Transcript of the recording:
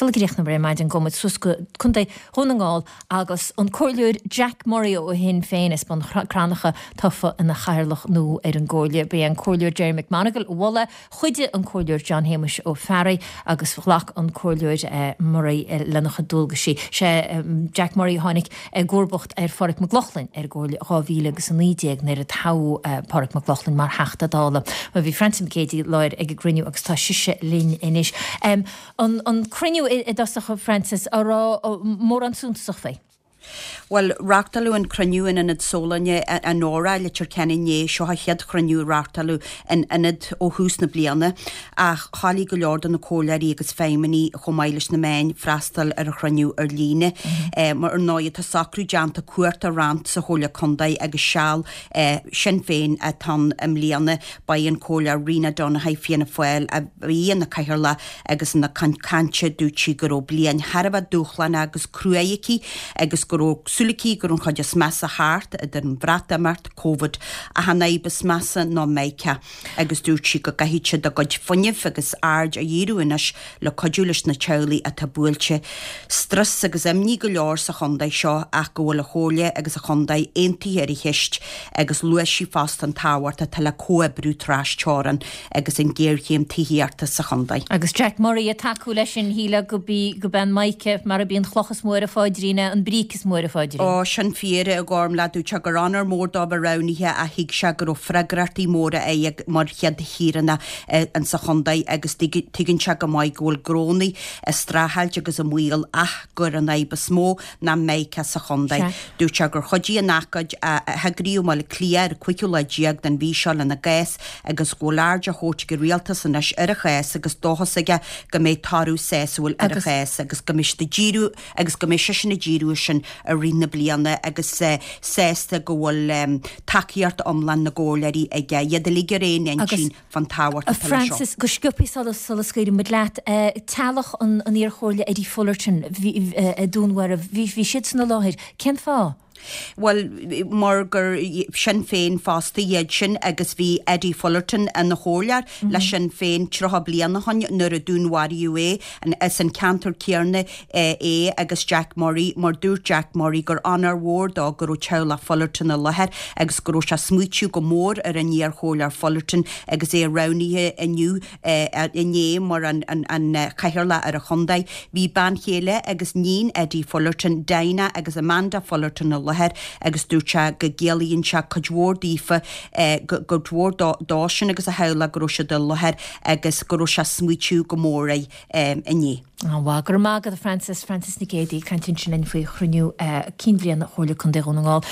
Sula gcríochnóimid ar maidin gabhfaidh muid suas go Contae Dhún na nGall agus an Comhairleoir Jack Murray ó Shinn Féin as Bun Cranncha tofa ina chathaoirleach nua ar an gComhairle. Ba é an Comhairleoir Gerry McMonagle a mhol é, chuidigh an Comhairleoir John Shéamuis Ó Fearraigh agus ghlac an Comhairleoir Murray lena chuid dualgaisí. Sé Jack Murray a tháinig i gcomharbacht ar Phádraig Mac Lochlainn ar an gComhairle 2019 nuair a toghadh Pádraig Mac Lochlainn mar Theachta Dála. Bhuel bhí Francie Nic Géadaigh i láthair ag an gcruinniú agus tá sise linn anois. An cruinniú i dtosach, a Frances, an raibh mórán suntasach faoi? Bhuel, reáchtáladh an cruinniú in Ionad Sólane an Óra, Leitir Ceanainn inné. Seo an chéad chruinniú a reáchtáladh in ionad ó thús na bliana ach cháiligh go leor de na comhairleoirí agus feidhmeannaigh chomh maith leis na meáin freastal ar an chruinniú ar líne. Mar ar ndóigh tá socrú déanta cuóta a roinnt sa Chomhairle Contae agus seal Sinn Féin atá ann i mbliana. Ba í an Comhairleoir Rena Donaghey Fianna Fáil a bhí ina cathaoirleach agus ina cuid cainte dúirt sí go raibh bliain thar a bheith dúshlánach agus cruaidh aici agus go raibh súil aici go raibh an chuid is measa thart, idir an Bhreatimeacht, Covid ach an fhadhb is measa ná Micah agus dúirt sí go gcaithfidh siad a gcuid fuinnimh agus aird a dhíriú anois le cuidiú leis na teaghlaigh atá buailte. Strus agus imní go leor sa chontae seo ach go bhfuil an chomhairle agus an chontae aontaithe ar an cheist agus luaigh sí fosta an tábhacht atá le comhoibriú tras-teorann agus an ghéarchéim tithíochta sa chontae. Agus Jack Murray ag tacú leis sin, shílfeá go b'í go b'é an Micah mar a b'í an chloch is mó ar a pháidrín é, an bríce is mó ar a pháidrín. Ó, sin fíor, a Ghormfhlaith. Dúirt sé gur onóir mór dó bheith roghnaithe ach thuig sé go raibh freagrachtaí móra air mar chéad shaoránach insa chontae agus tuigeann sé go maith go bhfuil gnónnaí ag streachailt agus i mbaol ach gur an fhadhb is mó ná Micah sa chontae. Dúirt sé gur chuidigh an ócáid a heagraíodh i mBaile Átha Cliath ar an 15ú lá den mhí seo lena gcás agus go bhfuil aird á thabhairt ag an rialtas anois ar a chás agus dóchas aige go mbeidh toradh sásúil ar a chás agus go mbeidh siad ag díriú agus go mbeidh seisean ag díriú air sin i rith na bliana agus sásta go bhfuil tacaíocht iomlán na gcomhairleoirí aige, iad uilig ar aon intinn fán tábhacht atá leis seo. Frances, go sciobtha sula sula scaoileann muid leat, teaghlach an an iarchomhairle Eddie Fullerton a dúnmharaíodh, bhí bhí siadsan i láthair. Cén fáth? Bhuel, mar gur Sinn Féin fosta iad sin agus bhí Eddie Fullerton ina chomhairleoir le Sinn Féin 30 bliain ó shoin nuair a dúnmharaíodh é. As an ceantar céanna é agus Jack Murray mar dúirt Jack Murray gur onóir mhór dó go raibh teaghlach Fullerton i láthair agus go raibh sé ag smaoitiú go mór ar an iarchomhairleoir Fullerton agus é roghnaithe inniu inné mar an Chathaoirleach ar an chontae. Bhí bean chéile agus níon Eddie Fullerton, Dinah agus Amanda Fullerton i láthair agus dúirt sé go gciallaíonn sé cuid mhór daofa, cuid mhór dósan agus a theaghlach go raibh siad i láthair agus go raibh sé ag smaoitiú go mór air inné. An-mhaith. Go raibh maith agat a Frances. Frances Nic Géadaigh ag caint ansin linn faoi chruinniú cinn bhliana Chomhairle Contae Dhún na nGall.